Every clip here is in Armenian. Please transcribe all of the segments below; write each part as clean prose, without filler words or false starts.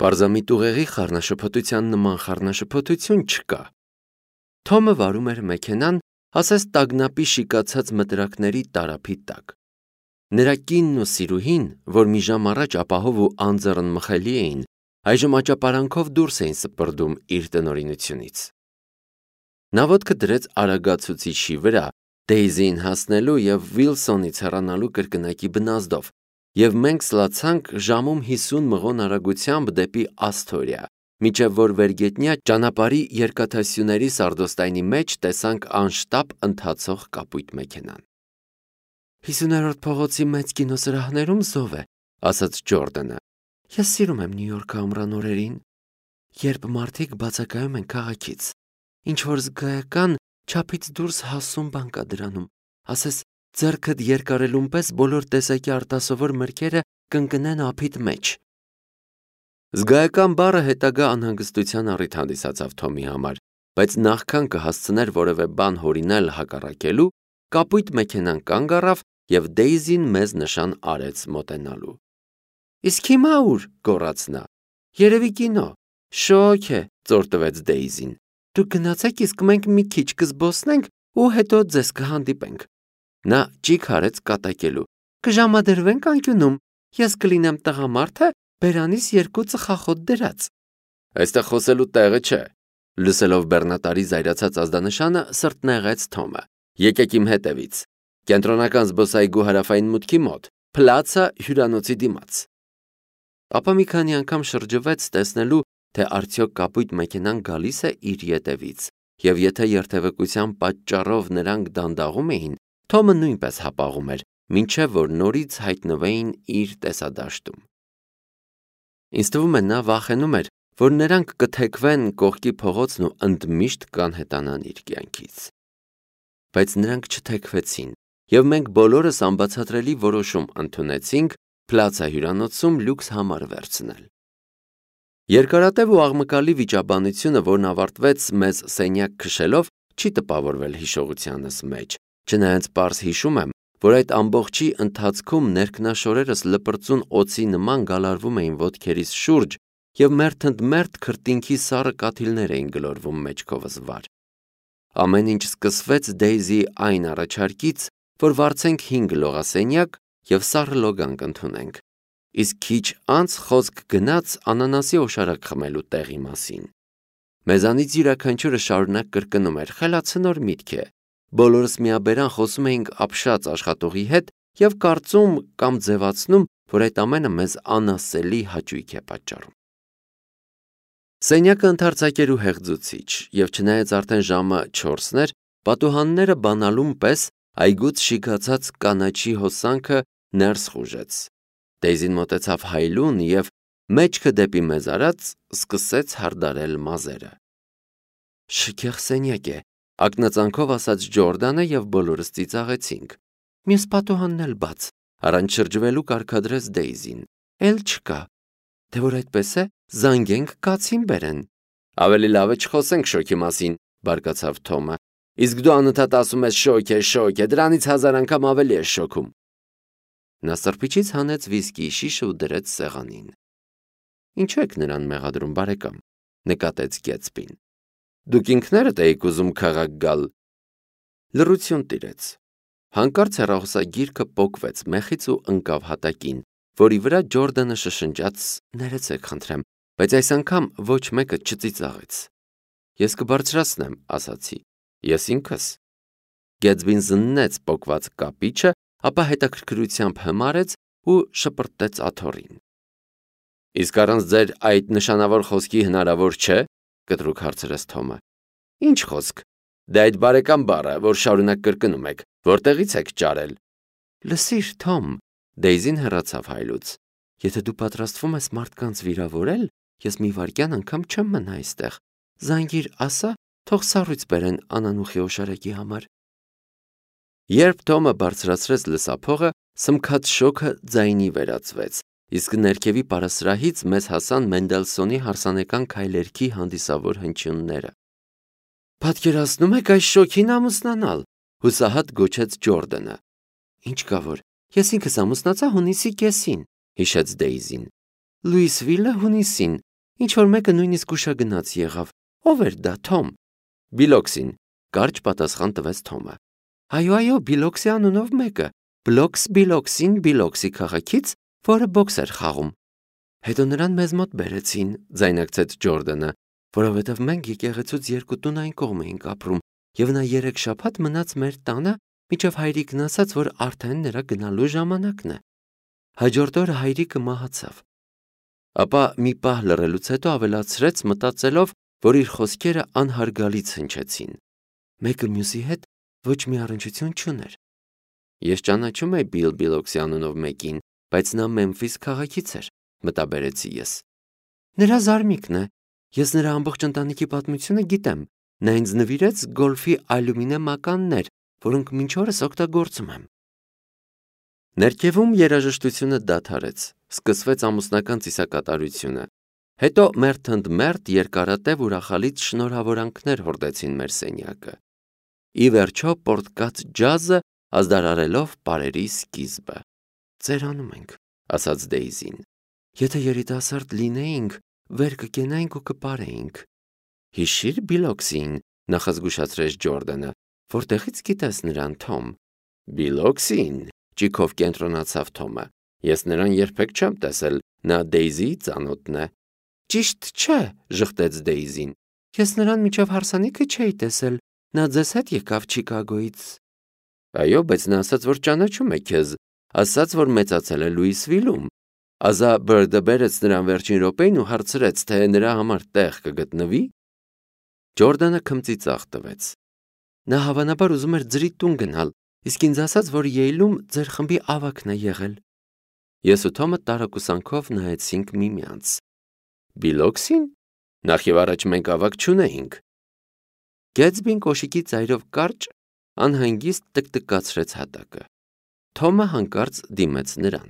Պարզամիտ ուղեղի խառնաշփոթության նման խառնաշփոթություն չկա։ Թոմը վարում էր մեքենան, ասես տագնապի շիկացած մտրակների տարափի տակ։ Նրա կինն ու սիրուհին, որ մի ժամ առաջ ապահով ու անձեռնմխելի էին, այժմ աճապարանքով դուրս էին սպրդում իր տնօրինությունից։ Նա ոտքը դրեց արագացուցիչի վրա, Դեյզիին հասնելու և Վիլսոնից հեռանալու կրկնակի բնազդով, և մենք սլացանք ժամում 50 մղոն արագությամբ դեպի Ասթորիա, մինչև որ վերգետնյա ճանապարհի երկաթասյուների սարդոստայնի մեջ տեսանք անշտապ ընթացող կապույտ մեքենան։ 50-րդ փողոցի մեծ կինոսրահներում զով է, ասաց Ջորդանը։ Ես սիրում եմ Նյու Յորքը ամռան օրերին, երբ մարդիկ բացակայում են քաղաքից, ինչ-որ զգայական չափից դուրս հասուն բան կա դրանում, ասես ձեռքդ երկարելուն պես բոլոր տեսակի արտասովոր մրգերը կընկնեն ափիդ մեջ։ Զգայական բառը հետագա անհանգստության առիթ հանդիսացավ Թոմի համար, բայց նախքան կհասցներ որևէ բան հորինել հակառակելու, կապույտ մեքենան կանգ առավ և Դեյզին մեզ նշան արեց մոտենալու։ Իսկ հիմա ուր, գոռաց նա։ Երևի կինո։ Շոկ է, ծոր տվեց Դեյզին։ Դուք գնացեք, իսկ մենք մի քիչ կզբոսնենք ու հետո ձեզ կհանդիպենք։ Նա ճիգ արեց կատակելու։ Կժամադրվենք անկյունում, ես կլինեմ տղամարդը բերանիս 2 ծխախոտ դրած։ Այստեղ խոսելու տեղը չէ։ Լսելով բեռնատարի զայրացած ազդանշանը սրտնեղեց Թոմը։ Եկեք իմ հետևից։ Կենտրոնական զբոսայգու հարավային մուտքի մոտ, Պլացա հյուրանոցի դիմաց։ Ապա մի քանի անգամ շրջվեց տեսնելու, թե արդյոք կապույտ մեքենան գալիս է իր ետևից, և եթե երթևեկության պատճառով նրանք դանդաղում էին, Թոմը նույնպես հապաղում էր, մինչև որ նորից հայտնվեին իր տեսադաշտում։ Ինձ թվում է նա վախենում էր, որ նրանք կթեքվեն կողքի փողոցն ու ընդմիշտ կանհետանան իր կյանքից։ Բայց նրանք չթեքվեցին, և մենք բոլորս անբացատրելի որոշում ընդունեցինք Պլացա հյուրանոցում լյուքս համար վերցնել։ Երկարատև ու աղմկալի վիճաբանությունը, որն ավարտվեց մեզ սենյակ քշելով, չի տպավորվել հիշողությանս մեջ, չնայած պարզ հիշում եմ, որ այդ ամբողջի ընթացքում ներքնաշորերս լպրծուն օձի նման գալարվում էին ոտքերիս շուրջ և մերթ ընդ մերթ քրտինքի սառը կաթիլներ էին գլորվում մեջքովս վար։ Ամեն ինչ սկսվեց Դեյզիի այն առաջարկից, որ վարձենք 5 լողասենյակ և սառը լոգանք ընդունենք, իսկ քիչ անց խոսք գնաց անանասի օշարակ խմելու տեղի մասին։ Մեզանից յուրաքանչյուրը շարունակ կրկնում էր. խելացնոր միտք է։ Բոլորս միաբերան խոսում էինք ապշած աշխատողի հետ և կարծում կամ ձևացնում, որ այդ ամենը մեզ անասելի հաճույք է պատճառում։ Սենյակը ընդարձակ էր ու հեղձուցիչ, և չնայած արդեն ժամը 4-ն էր, պատուհանները բանալուն պես այգուց շիկացած կանաչի հոսանքը ներս խուժեց։ Դեյզին մոտեցավ հայլուն և, մեջքը դեպի մեզ արած, սկսեց հարդարել մազերը։ Շքեղ սենյակ է, ակնածանքով ասաց Ջորդանը և բոլորս ծիծաղեցինք։ Մյուս պատուհանն էլ բաց, առանց շրջվելու կարգադրեց Դեյզին։ Էլ չկա։ Թե որ այդպես է, զանգենք կացին բերեն։ Ավելի լավ է չխոսենք շոկի մասին, բարկացավ Թոմը։ Իսկ դու անընդհատ ասում ես շոկ է, դրանից 1000 անգամ ավելի ես շոքում։ Նա սրբիչից հանեց վիսկիի շիշը ու դրեց սեղանին։ Ինչու եք նրան մեղադրում, բարեկամ, նկատեց Գեթսբին։ Դուք ինքներդ էիք ուզում քաղաք գալ։ Լռություն տիրեց։ Հանկարծ հեռախոսագիրքը պոկվեց մեխից ու ընկավ հատակին, որի վրա Ջորդանը շշնջաց. ներեցեք խնդրեմ, բայց այս անգամ ոչ մեկը չծիծաղեց։ Ես կբարձրացնեմ, ասացի։ Ես ինքս։ Գեթսբին զննեց պոկված կապիչը, ապա հետաքրքրությամբ հմարեց ու շպրտեց աթոռին։ Իսկ առանց ձեր այդ նշանավոր խոսքի հնարավոր չէ, կտրուկ հարցրեց Թոմը։ Ինչ խոսք։ Դե այդ բարեկամ բառը, որ շարունակ կրկնում եք, որտեղից եք ճարել։ Լսիր, Թոմ, Դեյզին հեռացավ հայլուց։ Եթե դու պատրաստվում ես մարդկանց վիրավորել, ես մի վայրկյան անգամ չեմ մնա այստեղ։ Զանգիր, ասա, թող սառույց բերեն անանուխի օշարակի համար։ Երբ Թոմը բարձրացրեց լսափողը, սմքած շոքը ձայնի վերածվեց, իսկ ներքևի պարասրահից մեզ հասան Մենդելսոնի հարսանեկան քայլերքի հանդիսավոր հնչյունները։ Պատկերացնում եք այս շոքին ամուսնանալ, հուսահատ գոչեց Ջորդանը։ Ինչ կա որ, ես ինքս ամուսնացա հունիսի կեսին, հիշեց Դեյզին։ Լուիսվիլը հունիսին, Ինչ-որ մեկը նույնիսկ ուշագնաց եղավ։ Ո՞վ էր դա, Թոմ։ Բիլոքսին, կարճ պատասխան տվեց Թոմը։ Այո, Բիլոքսի անունով մեկը, Բիլոքսին Բիլոքսի քաղաքից, որը բոքս էր խաղում։ Հետո նրան մեզ մոտ բերեցին, ձայնարկեց Ջորդանը, որովհետև մենք եկեղեցուց 2 տուն այն կողմ էինք ապրում, եւ նա 3 շաբաթ մնաց մեր տանը, մինչև հայրիկն ասաց, որ արդեն նրա գնալու ժամանակն է։ Հաջորդ օրը հայրիկը մահացավ։ Ապա մի պահ լռելուց հետո ավելացրեց, մտածելով, որ իր խոսքերը անհարգալից հնչեցին։ Մեկը մյուսի հետ ոչ մի առնչություն չուներ։ Ես ճանաչում էի Բիլոքսի անունով մեկին, բայց նա Մեմֆիս քաղաքից էր, մտաբերեցի ես։ Նրա զարմիկն է։ Ես նրա ամբողջ ընտանիքի պատմությունը գիտեմ։ Նա ինձ նվիրեց գոլֆի ալյումինե մականներ, որոնք մինչ օրս օգտագործում եմ։ Ներքևում երաժշտությունը դադարեց, սկսվեց ամուսնական ծիսակատարությունը։ Հետո մերթ երկարատև ուրախալից շնորհավորանքներ հորդեցին մեր սենյակը։ Ի վերջո պոռթկաց ջազը ազդարարելով պարերի սկիզբը։ Ծերանում ենք, ասաց Դեյզին։ Եթե երիտասարդ լինեինք, վեր կկենայինք ու կպարեինք։ Հիշիր Բիլոքսին, նախազգուշացրեց Ջորդանը, որտեղից գիտես նրան, Թոմ։ Բիլոքսին, ճիգով կենտրոնացավ Թոմը։ Ես նրան երբեք չեմ տեսել, նա Դեյզիի ծանոթն է։ Ճիշտ չէ, ժխտեց Դեյզին։ Ես նրան մինչև հարսանիքը չէի տեսել, նա ձեզ հետ եկավ Չիկագոյից։ Այո, բայց նա ասաց, որ ճանաչում է քեզ, ասաց, որ մեծացել է Լուիսվիլում։ Ազա Բըրդը բերեց նրան վերջին րոպեին ու հարցրեց, թե նրա համար տեղ կգտնվի։ Ջորդանը քմծիծաղ տվեց։ Նա հավանաբար ուզում էր ձրի տուն գնալ, իսկ ինձ ասաց, որ Յեյլում ձեր խմբի ավագն է եղել։ Ես ու Թոմը տարակուսանքով նայեցինք միմյանց։ Բիլոքսին։ Նախ եւ առաջ մենք ավագ չունեինք։ Գեթսբին կոշիկի ծայրով կարճ անհանգիստ տկտկացրեց հատակը։ Թոմը հանկարծ դիմեց նրան։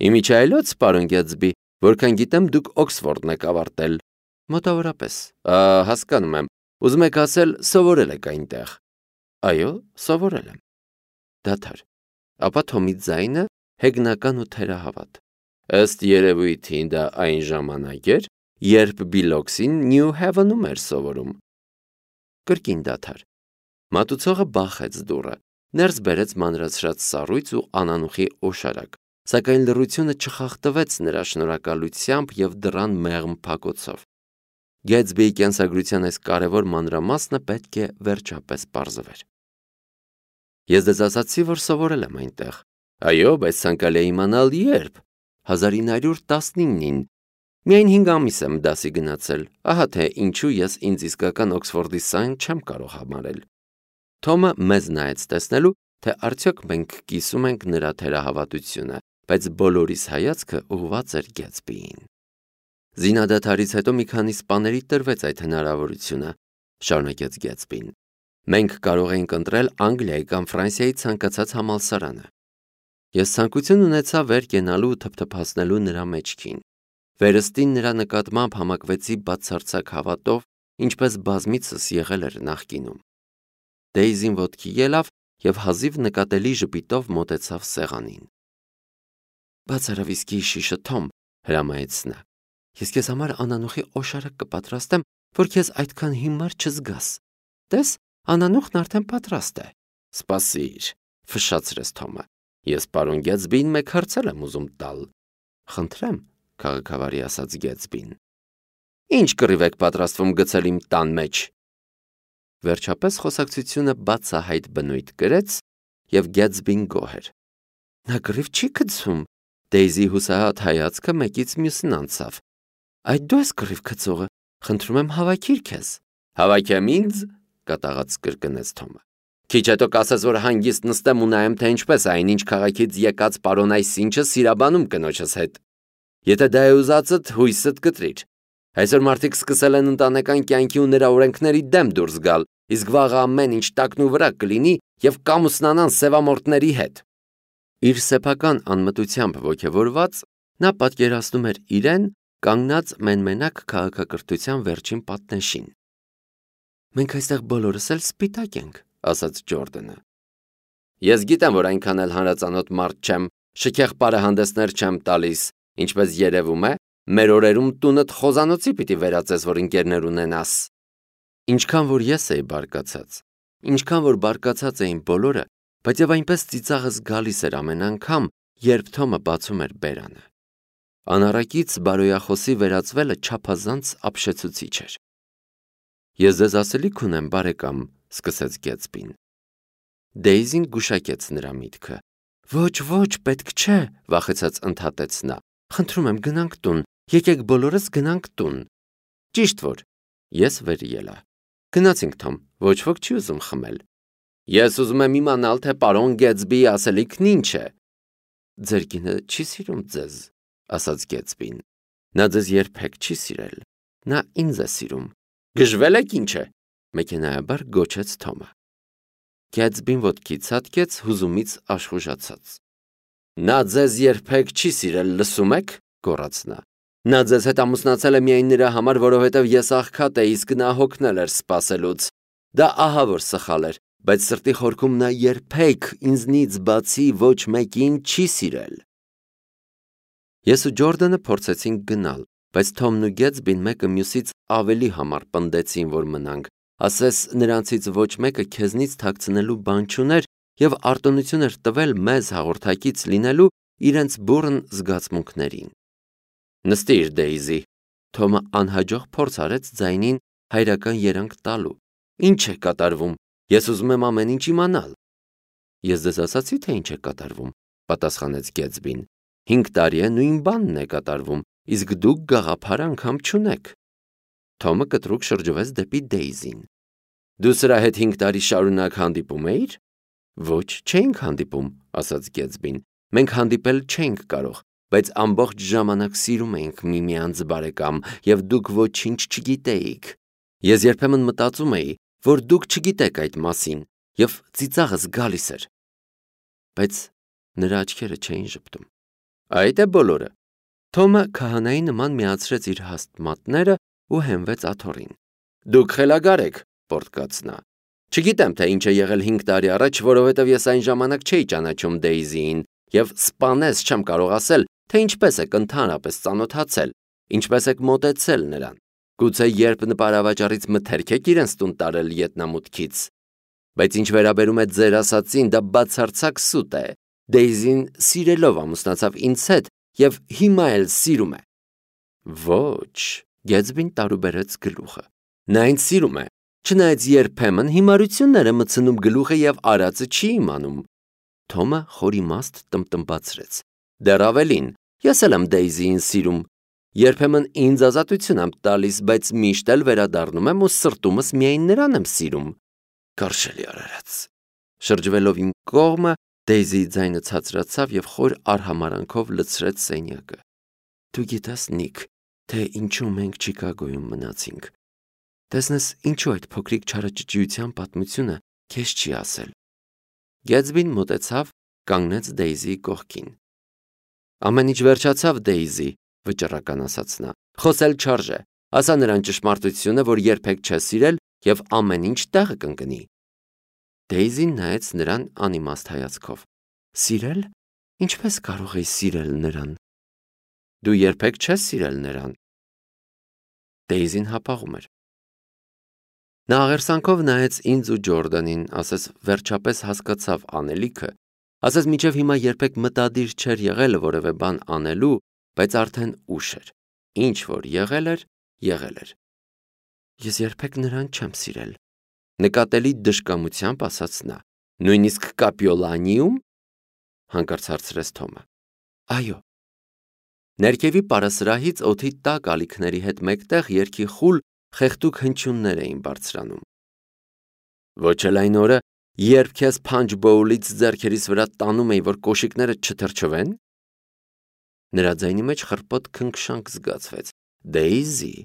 Իմիջայլոց, պարոն Գեթսբի, որքան գիտեմ, դուք Օքսֆորդն եք ավարտել։ Մոտավորապես։ Հասկանում եմ։ Ուզում եք ասել, սովորել եք այնտեղ։ Այո, սովորել եմ։ Դադար։ Ապա Թոմի ձայնը հեգնական ու թերահավատ։ Ըստ երևույթին դա այն ժամանակ էր, երբ Բիլոքսին Նյու Հևենում էր սովորում։ Կրկին դադար։ Մատուցողը բախեց դուռը, ներս բերեց մանրացրած սառույց ու անանուխի օշարակ, սակայն լռությունը չխախտվեց նրա շնորհակալությամբ եւ դռան մեղմ փակոցով։ Գեթսբիի կենսագրության այս կարևոր մանրամասնը պետք է վերջապես պարզվեր։ Ես դες ասացի, որ սովորել եմ այնտեղ։ Այո, բայց ցանկալի է իմանալ երբ։ 1919-ին։ Միայն 5 ամիս եմ դասի գնացել։ Ահա թե ինչու ես ինձ իսկական Օքսֆորդի սան չեմ կարող համարել։ Թոմը մեզ նայեց տեսնելու, թե արդյոք մենք կիսում ենք նրա թերահավատությունը, բայց բոլորիս հայացքը ուղղված էր Գեթսբիին։ Զինադադարից հետո մի քանի սպաների տրվեց այդ հնարավորությունը, շարունակեց Գեթսբին։ Մենք կարող էինք ընտրել Անգլիայի կամ Ֆրանսիայի ցանկացած համալսարանը։ Ես ցանկություն ունեցա վեր կենալու ու թփթփացնելու նրա մեջքին։ Վերստին նրա նկատմամբ համակվեցի բացարձակ հավատով, ինչպես բազմիցս եղել էր նախկինում։ Դեյզին ոտքի ելավ եւ հազիվ նկատելի ժպիտով մոտեցավ սեղանին։ Բաց արա վիսկիի շիշը, Թոմ, հրամայեց նա։ Ես քեզ համար անանուխի օշարակ կպատրաստեմ, որ քեզ այդքան հիմար չզգաս։ Տես, անանուխն արդեն պատրաստ է։ Սպասիր, ֆշշացրեց Թոմը։ Ես պարոն Գեթսբին մեկ հարցել եմ ուզում տալ։ Խնդրեմ, քաղաքավարի ասաց Գեթսբին։ Ինչ կռիվ եք պատրաստվում գցել իմ տան մեջ։ Վերջապես խոսակցությունը բացահայտ բնույթ կրեց եւ Գեթսբին գոհ էր։ Նա կռիվ չի գցում։ Դեյզի հուսահատ հայացքը մեկից մյուսին անցավ։ Այդ դու ես կռիվ գցողը, խնդրում եմ հավաքիր քեզ։ Հավաքեմ ինձ, կատաղած կրկնեց Թոմը։ Քիչ հետո կասես, որ հանգիստ նստեմ ու նայեմ, թե ինչպես այնինչ քաղաքից եկած պարոն այսինչը սիրաբանում կնոջս հետ։ Եթե դա է ուզածդ, հույսդ կտրիր։ Այսօր մարդիկ սկսել են ընտանեկան կյանքի ու նրա օրենքների դեմ դուրս գալ, իսկ վաղը ամեն ինչ տակնու վրա կլինի եւ կամուսնանան սևամորտների հետ։ Իր սեփական անմտությամբ ոգևորված, նա պատկերացնում էր իրեն կանգնած մենմենակ քաղաքակրթության վերջին պատնեշին։ Մենք այստեղ բոլորս էլ սպիտակ ենք, ասաց Ջորդանը։ Ես գիտեմ, որ այնքան էլ հանրածանոթ մարդ չեմ, շքեղ պարահանդեսներ չեմ տալիս, ինչպես երևում է, Մեր օրերում տունդ խոզանոցի պիտի վերածես, որ ընկերներ ունենաս։ Ինչքան որ ես էի բարկացած, ինչքան որ բարկացած էին բոլորը, բայց եւ այնպես ծիծաղս գալիս էր ամեն անգամ, երբ Թոմը բացում էր բերանը։ Անառակից բարոյախոսի վերածվելը չափազանց ապշեցուցիչ էր։ Ես ձեզ ասելիք ունեմ, բարեկամ, սկսեց Գեթսբին։ Դեյզին գուշակեց նրա միտքը։ Ոչ, պետք չէ, վախեցած ընդհատեց նա։ Խնդրում եմ, գնանք տուն, եկեք բոլորս գնանք տուն։ Ճիշտ որ, ես վեր ելա։ Գնացինք, Թոմ, ոչ ոք չի ուզում խմել։ Ես ուզում եմ իմանալ, թե պարոն Գեթսբիի ասելիքն ինչ է։ Ձեր կինը չի սիրում ձեզ, ասաց Գեթսբին։ Նա ձեզ երբեք չի սիրել։ Նա ինձ է սիրում։ Գժվել եք ինչ է, մեքենայաբար գոչեց Թոմը։ Գեթսբին ոտքի ցատկեց հուզումից աշխուժացած։ Նա ձեզ երբեք չի սիրել, լսում եք, գոռաց նա։ Նա ձեզ հետ ամուսնացել է միայն նրա համար, որովհետև ես աղքատ էի, իսկ նա հոգնել էր սպասելուց։ Դա ահա որ սխալ էր, բայց սրտի խորքում նա երբեք ինձնից բացի ոչ մեկին չի սիրել։ Ես ու Ջորդանը փորձեցինք գնալ, բայց Թոմն ու Գեթսբին մեկը մյուսից ավելի համառ պնդեցին, որ մնանք, ասես նրանցից ոչ մեկը քեզնից թաքցնելու բան չուներ եւ արտոնություն էր տվել մեզ հաղորդակից լինելու իրենց բուռն զգացմունքներին։ Նստիր, Դեյզի, Թոմը անհաջող փորձ արեց ձայնին հայրական երանգ տալու։ Ինչ է կատարվում, ես ուզում եմ ամեն ինչ իմանալ։ Ես ձեզ ասացի, թե ինչ է կատարվում, պատասխանեց Գեթսբին։ 5 տարի է նույն բանն է կատարվում, իսկ դուք գաղափար անգամ չունեք։ Թոմը կտրուկ շրջվեց դեպի Դեյզին։ Դու սրա հետ 5 տարի շարունակ հանդիպում էիր։ Ոչ, չէինք հանդիպում, ասաց Գեթսբին։ Մենք հանդիպել չենք կարող, բայց ամբողջ ժամանակ սիրում էինք միմյանց, բարեկամ, եւ դուք ոչինչ չգիտեիք։ Ես երբեմն մտածում էի, որ դուք չգիտեք այդ մասին, եւ ծիծաղս գալիս էր։ Բայց նրա աչքերը չէին ժպտում։ Այդ է բոլորը։ Թոմը քահանայի նման միացրեց իր հաստ մատները ու հենվեց աթոռին։ Դուք խելագար եք, պոռթկաց նա։ Չգիտեմ, թե ինչ է եղել 5 տարի առաջ, որովհետև ես այն ժամանակ չէի ճանաչում Դեյզիին եւ սպանես չեմ կարող ասել, թե ինչպես եք ընդհանրապես ծանոթացել, ինչպես եք մոտեցել նրան։ Գուցե երբ նպարավաճառից մթերք եք իրենց տուն տարել ետնամուտքից։ Բայց ինչ վերաբերում է ձեր ասածին, դա բացարձակ սուտ է։ Դեյզին սիրելով ամուսնացավ ինձ հետ եւ հիմա էլ սիրում է։ Ոչ, Գեթսբին տարուբերեց գլուխը։ Նա ինձ սիրում է, չնայած երբեմն հիմարություններ է մտցնում գլուխը եւ արածը չի իմանում։ Թոմը խորիմաստ տնտմբացրեց։ Դեռ ավելին, ես էլ եմ Դեյզիին սիրում։ Երբեմն ինձ ազատություն եմ տալիս, բայց միշտ էլ վերադառնում եմ ու սրտումս միայն նրան եմ սիրում։ Կարշելի արարած։ Շրջվելով իմ կողմը, Դեյզիի ձայնը ցածրացավ եւ խոր արհամարանքով լցրեց սենյակը։ Դու գիտես, Նիք, թե ինչու մենք Չիկագոյում մնացինք։ Տեսնես, ինչու այդ փոքրիկ չարաճճիության պատմությունը քեզ չի ասել։ Գեթսբին մոտեցավ, կանգնեց Դեյզիի կողքին։ Ամեն ինչ վերջացավ, Դեյզի, վճռական ասաց նա։ Խոսել չարժե։ Ասա նրան ճշմարտությունը, որ երբեք չես սիրել եւ ամեն ինչ տեղը կընկնի։ Դեյզին նայեց նրան անիմաստ հայացքով։ Սիրել? Ինչպես կարող ես սիրել նրան։ Դու երբեք չես սիրել նրան։ Դեյզին հապաղում էր։ Նա աղերսանքով նայեց ինձ ու Ջորդանին, ասես վերջապես հասկացավ անելիքը, ասես մինչև հիմա երբեք մտադիր չէր եղել որևէ բան անելու, բայց արդեն ուշ էր։ Ինչ որ եղել էր, եղել էր։ Ես երբեք նրան չեմ սիրել։ Նկատելի դժկամությամբ ասաց նա։ Նույնիսկ Կապիոլանիում, հանկարծ հարցրեց Թոմը։ Այո։ Ներքևի պարասրահից օդի տակ ալիքների հետ մեկտեղ երգի խուլ խեղդուկ հնչյուններ էին բարձրանում։ Ոչ էլ այն օրը, երբ քեզ փանջբոուլից ձեռքերիս վրա տանում էի, որ կոշիկները չթրջվեն։ Նրա ձայնի մեջ խռպոտ քնքշանք զգացվեց։ Դեյզի,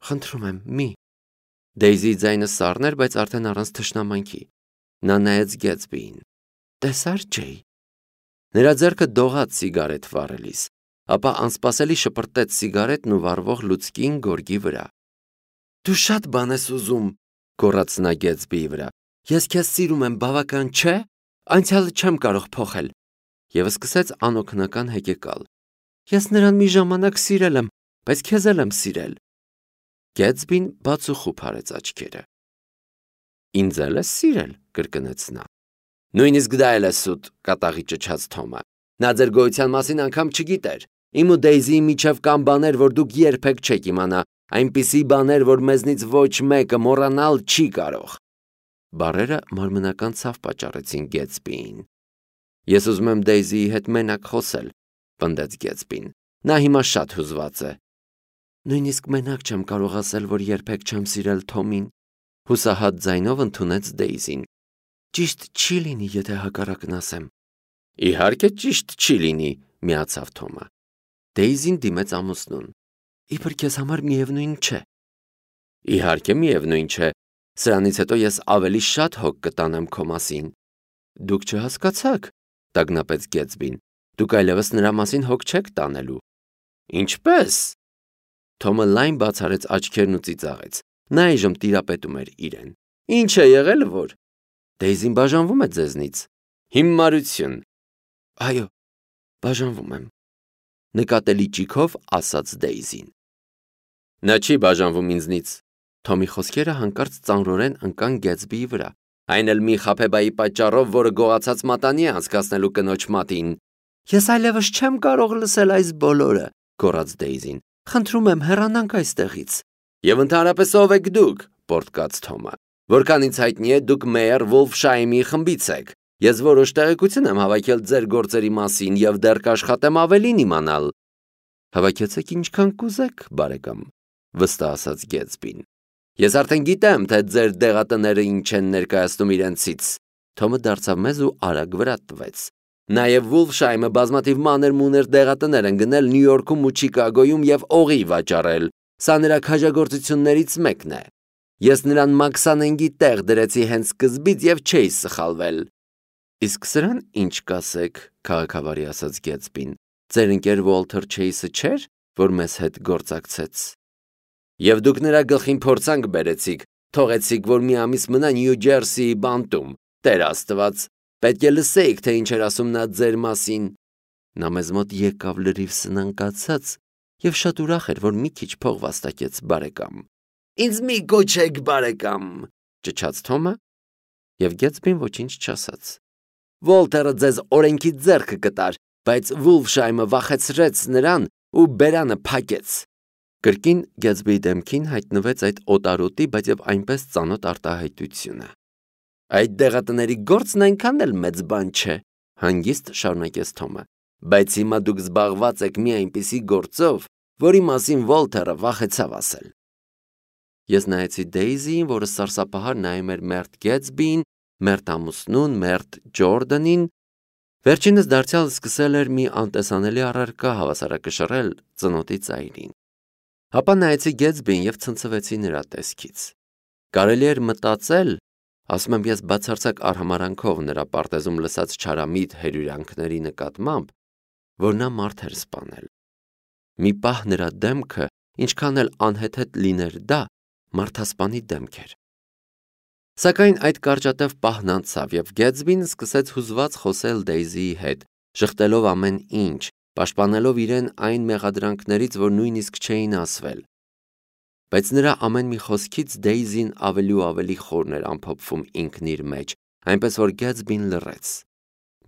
խնդրում եմ, մի։ Դեյզիի ձայնը սառն էր, բայց արդեն առանց թշնամանքի։ Նա նայեց Գեթսբիին։ Տեսար, Ջեյ։ Նրա ձեռքը դողաց սիգարետ վառելիս, ապա անսպասելի շպրտեց սիգարետն ու վառվող լուցկին գորգի վրա։ Դու շատ բան ես ուզում, գոռաց նա Գեթսբիի վրա։ Ես քեզ սիրում եմ, բավական չէ։ Անցյալը չեմ կարող փոխել։ Եվ սկսեց անօգնական հեկեկալ։ Ես նրան մի ժամանակ սիրել եմ, բայց քեզ էլ եմ սիրել։ Գեթսբին բացուխուփ արեց աչքերը։ Ինձ էլ ես սիրել, կրկնեց նա։ Նույնիսկ դա էլ է սուտ, կատաղի ճչաց Թոմը։ Նա ձեր գոյության մասին անգամ չգիտեր։ Իմ ու Դեյզիի միջև կան բաներ, որ դուք երբեք չեք իմանա, այնպիսի բաներ, որ մեզնից ոչ մեկը մոռանալ չի կարող։ Բառերը մարմնական ցավ պատճառեցին Գեթսբիին։ Ես ուզում եմ Դեյզիի հետ մենակ խոսել, պնդեց Գեթսբին։ Նա հիմա շատ հուզված է։ Նույնիսկ մենակ չեմ կարող ասել, որ երբեք չեմ սիրել Թոմին, հուսահատ ձայնով ընդունեց Դեյզին։ Ճիշտ չի լինի, եթե հակառակն ասեմ։ Իհարկե ճիշտ չի լինի, միացավ Թոմը։ Դեյզին դիմեց ամուսնուն։ Իբր քեզ համար միևնույն չէ։ Իհարկե միևնույն չէ։ Սրանից հետո ես ավելի շատ հոգ կտանեմ քո մասին։ Դուք չհասկացաք, տագնապեց Գեթսբին։ Դուք այլևս նրա մասին հոգ չեք տանելու։ Ինչպե՞ս։ Թոմը լայն բացարեց աչքերն ու ծիծաղեց։ Նա այժմ տիրապետում էր իրեն։ Ինչ է եղել որ։ Դեյզին բաժանվում է ձեզնից։ Հիմարություն։ Այո, բաժանվում եմ։ Նկատելի ճիգով ասաց Դեյզին։ Նա չի բաժանվում ինձնից։ Թոմի խոսքերը հանկարծ ծանրորեն ընկան Գեթսբիի վրա։ Այն էլ մի խաբեբայի պատճառով, որը գողացած մատանի է անցկացնելու կնոջ մատին։ Ես այլևս չեմ կարող լսել այս բոլորը, գոռաց Դեյզին։ Խնդրում եմ հեռանանք այստեղից։ Եվ ընդհանրապես ով եք դուք, պոռթկաց Թոմը։ Որքան ինձ հայտնի է, դուք Մեյեր Վոլֆշայմի խմբից եք։ Ես որոշ տեղեկություն եմ հավաքել ձեր գործերի մասին եւ դեռ կաշխատեմ ավելին իմանալ։ Հավաքեցեք ինչքան կուզեք, բարեկամ, վստահ ասաց Գեթսբին։ Ես արդեն գիտեմ, թե ձեր դեղատները ինչ են ներկայացնում իրենցից։ Թոմը դարձավ մեզ ու արագ վրա տվեց։ Նաև Վոլֆշայմը բազմաթիվ մանր-մուներ դեղատներ են գնել Նյու Յորքում ու Չիկագոյում եւ օղի վաճառել։ Սա նրա քաջագործություններից մեկն է։ Ես նրան Մաքսանենգի տեղ դրեցի հենց սկզբից եւ չէի սխալվել։ Իսկ սրան ինչ կասեք, քաղաքավարի ասաց Գեթսբին։ Ձեր ընկեր Ուոլթեր Չեյսը չէր, որ մեզ հետ գործակցեց։ Եվ դուք նրա գլխին փորձանք բերեցիք, թողեցիք, որ մի ամիս մնա Նյու Ջերսիի բանտում։ Տեր Աստված, պետք է լսեիք, թե ինչ էր ասում նա ձեր մասին։ Նա մեզ մոտ եկավ լրիվ սնանկացած եւ շատ ուրախ էր, որ մի քիչ փող վաստակեց բարեկամ։ Ինձ մի կոչեք բարեկամ, ճչաց Թոմը, եւ Գեթսբին ոչինչ չասաց։ Ուոլթերը ձեզ օրենքի ձեռքը կտար, բայց Վոլֆշայմը վախեցրեց նրան ու բերանը փակեց։ Կրկին Գեթսբիի դեմքին հայտնվեց այդ օտարոտի, բայց եւ այնպես ծանոթ արտահայտությունը։ Այդ դեղատների գործն այնքան էլ մեծ բան չէ, հանգիստ շարունակեց Թոմը, բայց հիմա դուք զբաղված եք մի այնպիսի գործով, որի մասին Ուոլթերը վախեցավ ասել։ Ես նայեցի Դեյզիին, որը սարսափահար նայում էր մերթ Գեթսբիին, մերթ ամուսնուն, մերթ Ջորդանին։ Վերջինս դարձյալ սկսել էր մի անտեսանելի առարկա հավասարակշռել ծնոտի ծայրին։ Հապա նայեցի Գեթսբիին եւ ցնցվեցի նրա տեսքից։ Կարելի էր մտածել, ասում եմ ես բացարձակ արհամարանքով նրա պարտեզում լսած չարամիտ հերյուրանքների նկատմամբ, որ նա մարդ էր սպանել։ Մի պահ նրա դեմքը, ինչքան էլ անհեթեթ լիներ դա, մարդասպանի դեմք էր։ Սակայն այդ կարճատև պահն անցավ եւ Գեթսբին սկսեց հուզված խոսել Դեյզիի հետ, շղթելով ամեն ինչ, պաշտպանելով իրեն այն մեղադրանքներից, որ նույնիսկ չէին ասվել։ Բայց նրա ամեն մի խոսքից Դեյզին ավելի ու ավելի խորն էր ամփոփվում ինքն իր մեջ, այնպես որ Գեթսբին լռեց։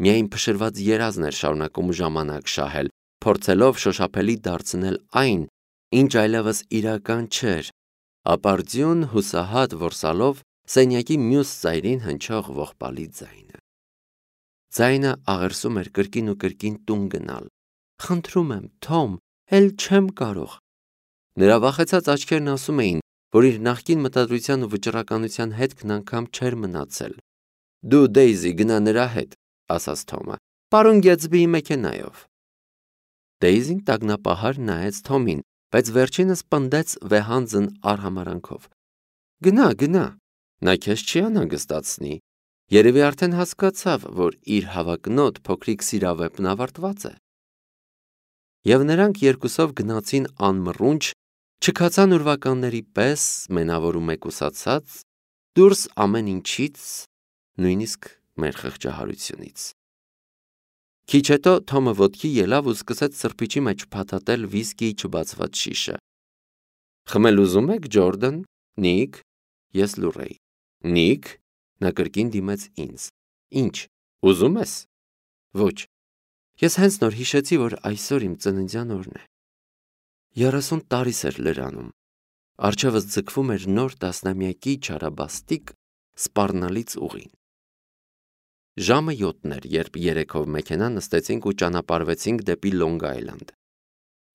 Միայն փշրված երազն էր շարունակում ժամանակ շահել, փորձելով շոշափելի դարձնել այն, ինչ այլևս իրական չէր, ապարդյուն հուսահատ որսալով սենյակի մյուս ծայրին հնչող ողբալի ձայնը։ Ձայնը աղերսում էր կրկին ու կրկին տուն գնալ։ Խնդրում եմ, Թոմ, էլ չեմ կարող։ Նրա վախեցած աչքերն ասում էին, որ իր նախկին մտադրության ու վճռականության հետքն անգամ չէր մնացել։ Դու Դեյզի գնա նրա հետ, ասաց Թոմը, պարոն Գեթսբիի մեքենայով։ Դեյզին տագնապահար նայեց Թոմին, բայց վերջինս պնդեց վեհանձն արհամարանքով։ Գնա, գնա, նա քեզ չի անհանգստացնի։ Երևի արդեն հասկացավ, որ իր հավակնոտ փոքրիկ սիրավեպն ավարտված է։ Եվ նրանք երկուսով գնացին անմռունչ, չքացան ուրվականների պես, մենավոր ու մեկուսացած, դուրս ամեն ինչից, նույնիսկ մեր խղճահարությունից։ Քիչ հետո Թոմը ոտքի ելավ ու սկսեց սրբիչի մեջ փաթաթել վիսկիի չբացված շիշը։ Խմել ուզում եք, Ջորդան, Նիկ, ես լուռ էի։ Նիկ, նա կրկին դիմեց ինձ։ Ինչ, ուզում ես։ Ոչ։ Ես հենց նոր հիշեցի, որ այսօր իմ ծննդյան օրն է։ 30 տարիս էր լրանում։ Առջևս ձգվում էր նոր տասնամյակի չարաբաստիկ սպառնալից ուղին։ Ժամը 7-ն էր, երբ երեքով մեքենա նստեցինք ու ճանապարհվեցինք դեպի Լոնգ Այլանդ։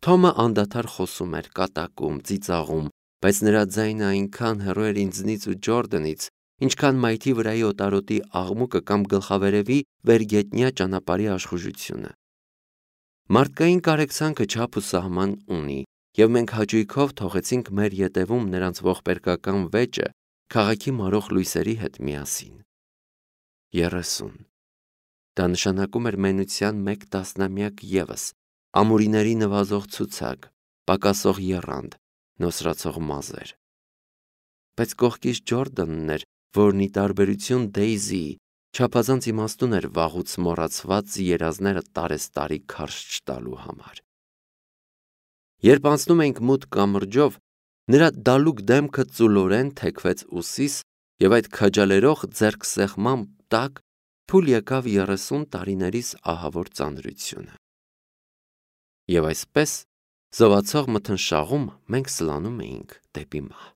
Թոմը անդադար խոսում էր, կատակում, ծիծաղում, բայց նրա ձայնը այնքան հեռու էր ինձնից ու Ջորդանից, ինչքան մայթի վրայի օտարոտի աղմուկը կամ գլխավերևի վերգետնյա ճանապարհի աշխուժությունը։ Մարդկային կարեկցանքը չափ ու սահման ունի, եւ մենք հաճույքով թողեցինք մեր ետևում նրանց ողբերգական վեճը քաղաքի մարող լույսերի հետ միասին։ 30։ Դա նշանակում էր մենության մեկ տասնամյակ ևս, ամուրիների նվազող ցուցակ, պակասող եռանդ, նոսրացող մազեր։ Բայց կողքից Ջորդանն էր, որն ի տարբերություն Դեյզիի չափազանց իմաստուն էր վաղուց մոռացված երազները տարեստարի քարշ չտալու համար։ Երբ անցնում էինք մութ կամրջով, նրա դալուկ դեմքը ծուլորեն թեքվեց ուսիս, եւ այդ քաջալերող ձեռքսեղմամբ տակ փուլ եկավ 30 տարիներիս ահավոր ծանրությունը։ Եվ այսպես, զովացող մթնշաղում մենք սլանում էինք դեպի մահ։